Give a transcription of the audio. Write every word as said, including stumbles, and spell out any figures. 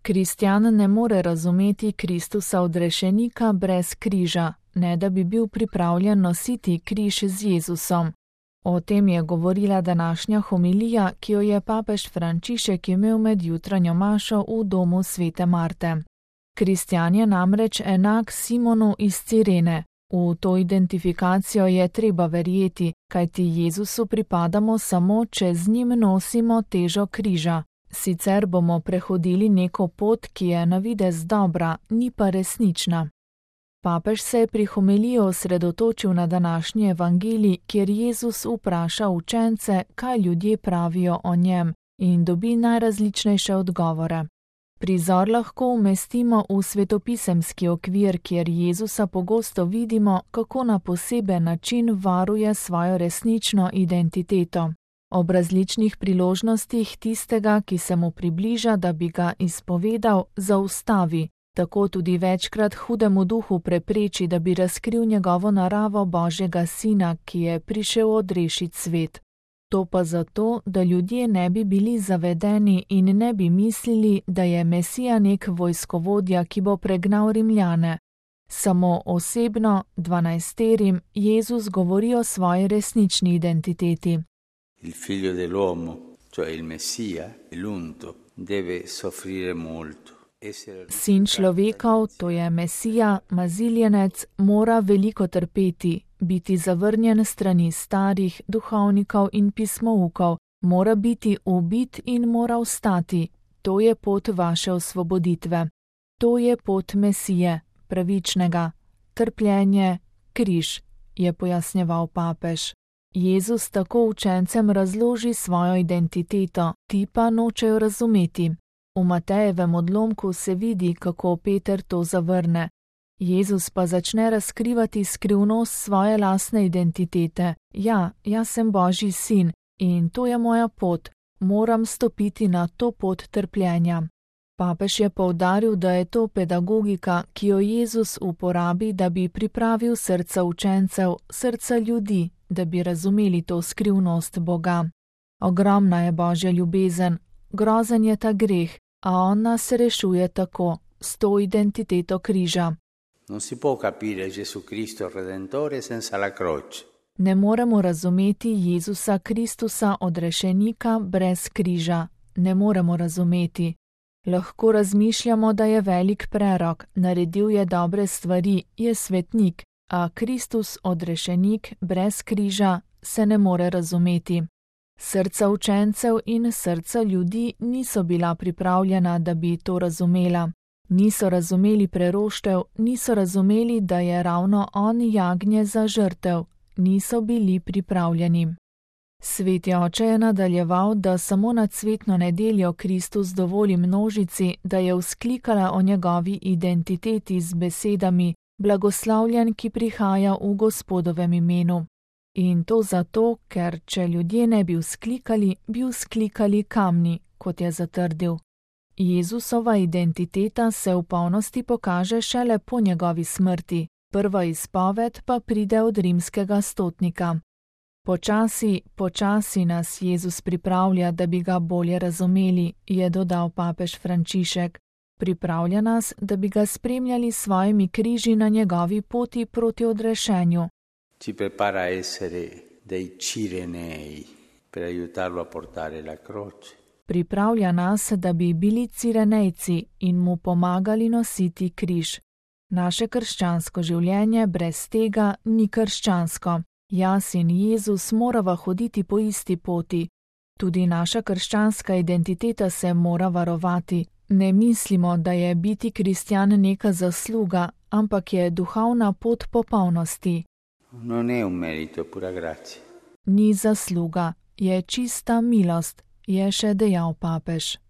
Kristjan ne more razumeti Kristusa odrešenika brez križa, ne da bi bil pripravljen nositi križ z Jezusom. O tem je govorila današnja homilija, ki jo je papež Frančišek imel med jutranjo mašo v domu svete Marte. Kristjan je namreč enak Simonu iz Cirene. V to identifikacijo je treba verjeti, kajti Jezusu pripadamo samo, če z njim nosimo težo križa. Sicer bomo prehodili neko pot, ki je na videz dobra, ni pa resnična. Papež se je pri homiliji osredotočil na današnji evangelij, kjer Jezus vpraša učence, kaj ljudje pravijo o njem, in dobi najrazličnejše odgovore. Prizor lahko umestimo v svetopisemski okvir, kjer Jezusa pogosto vidimo, kako na poseben način varuje svojo resnično identiteto. Ob različnih priložnostih tistega, ki se mu približa, da bi ga izpovedal, zaustavi. Tako tudi večkrat hudemu duhu prepreči, da bi razkril njegovo naravo Božjega Sina, ki je prišel odrešiti svet. To pa zato, da ljudje ne bi bili zavedeni in ne bi mislili, da je Mesija nek vojskovodja, ki bo pregnal Rimljane. Samo osebno, dvanajsterim, Jezus govori o svoji resnični identiteti. Il figlio dell'uomo, cioè il Messia, l'unto, deve soffrire molto. Sin človekov, to je Mesija, maziljenec, mora veliko trpeti, biti zavrnjen strani starih, duhovnikov in pismoukov, mora biti ubit in mora vstati. To je pot vaše osvoboditve. To je pot Mesije, pravičnega. Trpljenje, križ, je pojasnjeval papež. Jezus tako učencem razloži svojo identiteto, ti pa nočejo razumeti. V Matejevem odlomku se vidi, kako Peter to zavrne. Jezus pa začne razkrivati skrivnost svoje lastne identitete. Ja, jaz sem Božji sin in to je moja pot. Moram stopiti na to pot trpljenja. Papež je poudaril, da je to pedagogika, ki jo Jezus uporabi, da bi pripravil srca učencev, srca ljudi, da bi razumeli to skrivnost Boga. Ogromna je Božja ljubezen, grozen je ta greh, a on nas rešuje tako, s to identiteto križa. Non si può capire Gesù Cristo Redentore senza la croce. Ne moremo razumeti Jezusa Kristusa odrešenika brez križa. Ne moremo razumeti. Lahko razmišljamo, da je velik prerok, naredil je dobre stvari, je svetnik, a Kristus odrešenik brez križa se ne more razumeti. Srca učencev in srca ljudi niso bila pripravljena, da bi to razumela. Niso razumeli preroštev, niso razumeli, da je ravno on jagnje za žrtev, niso bili pripravljeni. Sveti oče je nadaljeval, da samo na cvetno nedeljo Kristus dovoli množici, da je vzklikala o njegovi identiteti z besedami blagoslavljen, ki prihaja v Gospodovem imenu. In to zato, ker če ljudje ne bi vzklikali, bi vzklikali kamni, kot je zatrdil. Jezusova identiteta se v polnosti pokaže šele po njegovi smrti, prva izpoved pa pride od rimskega stotnika. Počasi, počasi nas Jezus pripravlja, da bi ga bolje razumeli, je dodal papež Frančišek. Pripravlja nas, da bi ga spremljali s svojimi križi na njegovi poti proti odrešenju. Ci prepara a essere dei cirenei per aiutarlo a portare la croce. Pripravlja nas, da bi bili cirenejci in mu pomagali nositi križ. Naše krščansko življenje brez tega ni krščansko. Jaz in Jezus morava hoditi po isti poti. Tudi naša krščanska identiteta se mora varovati. Ne mislimo, da je biti kristjan neka zasluga, ampak je duhovna pot popolnosti. Non è un merito, pura grazia. Ni zasluga, je čista milost, je še dejal papež.